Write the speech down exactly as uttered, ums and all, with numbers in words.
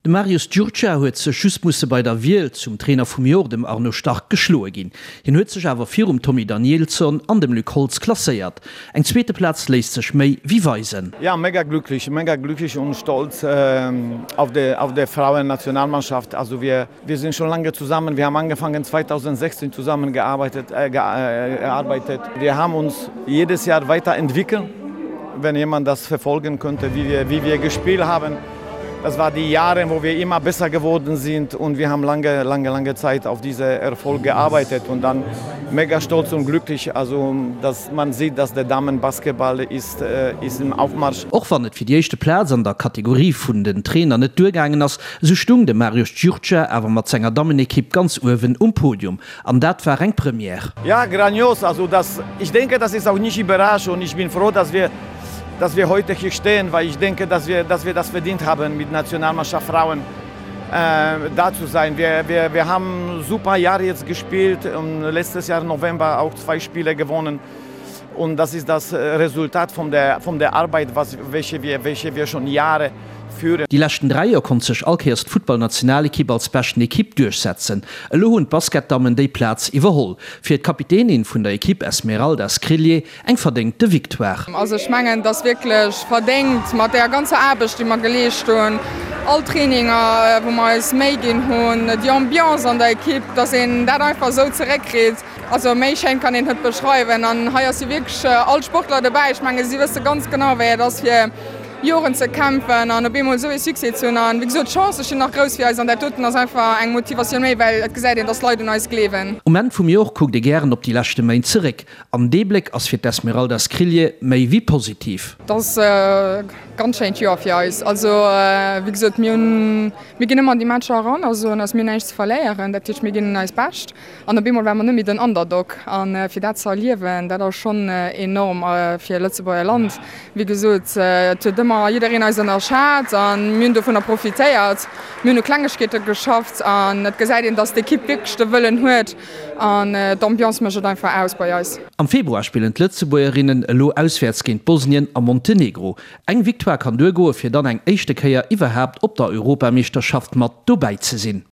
De Marius Giurgia huet sech just musse bei der Wiel zum Trainer vum Joer dem Arno Stark geschloe ginn. Hien huet sech awer virum Tommy Danielsson an dem Luc Holtz klasséiert. Eng zweete Plaz léisst sech méi wéi weisen. Ja, mega glücklich, mega glücklich und stolz ähm, auf der auf der Frauennationalmannschaft. Also wir wir sind schon lange zusammen. Wir haben angefangen zweitausendsechzehn zusammengearbeitet äh, gearbeitet. Wir haben uns jedes Jahr weiterentwickelt. Wenn jemand das verfolgen könnte, wie wir wie wir gespielt haben. Das war die Jahre, wo wir immer besser geworden sind und wir haben lange, lange, lange Zeit auf diese Erfolg gearbeitet und dann mega stolz und glücklich, also dass man sieht, dass der Damenbasketball ist, äh, ist im Aufmarsch. Och wann et fir déi éischte Plaz an der Kategorie vun den Trainer net duergaangen ass, sou stung de Marius Giurgia awer mat senger Dammenekipp ganz uewen um Podium. An dat war eng Première. Ja, grandios. Also das, ich denke, das ist auch nicht überraschend und ich bin froh, dass wir, dass wir heute hier stehen, weil ich denke, dass wir, dass wir das verdient haben, mit Nationalmannschaft Frauen äh, da zu sein. Wir, wir, wir haben super Jahre jetzt gespielt und letztes Jahr November auch zwei Spiele gewonnen. Und das ist das Resultat von der, von der Arbeit, was, welche, wir, welche wir schon Jahre führen. Déi leschten dräi Joer konnt sech all Kéiers d'Futtballnationalekipp als beschten Ekipp duerchsetzen. Elo hunn d'Basketdammen déi Plaz iwwerholl. Fir d'Kapitänin vun der Ekipp Esmeralda Skrilje eng verdéngte Victoire. Also ech mengen, dat ass wierklech verdéngt mat där ganzer Aarbecht, déi mer geleescht hunn, all Traininger, wou mer eis Méi ginn hunn, déi Ambiance an der Ekipp, dass een dat einfach esou zeréckkritt. Also méi schéin kann een et net beschreiwen. An hei ass jo wierklech all Sportler dobäi. Ech menge si wësse ganz genau, wéi et ass fir Joren ze kämpfen an op eemol esou ee Succès ze hunn. An wéi gesot, d'Chancë stinn nach grouss fir eis an dat doten ass einfach eng Motivatioun méi, well et gesäit een, dass d'Leit un eis gleewen. Um Enn vum Joer kuckt ee gären op déi leschte Méint zeréck. An dee Bléck ass fir d'Esmeralda Skrilje méi wéi positiv. Et ass e ganz schéint Joer fir eis. Also wéi gesot, mir hunn, mir ginn ëmmer an déi Matcher eran, also an eis, mir hunn näischt ze verléieren. Dat heescht, mir ginn eist Bescht an op eemol ware mer net méi den Underdog. A fir dat ze erliewen, dat ass schonn enorm fir e Lëtzebuerger Land. Wéi gesot, et huet ëmmer jiddereen eis ënnerschat a mir hunn dovunner profitéiert. Mir hunn u Klengegkeete geschafft an et gesäit een, dass d'Ekipp wierklech de Wëllen huet an d'Ambiance mécht et einfach aus bei eis. Am Februar spillen d'Lëtzebuergerinnen elo auswäerts géint Bosnien a Montenegro. Eng Victoire kann duergoe fir dann eng éischte Kéier iwwerhaapt op der Europameeschterschaft mat dobäi ze sinn.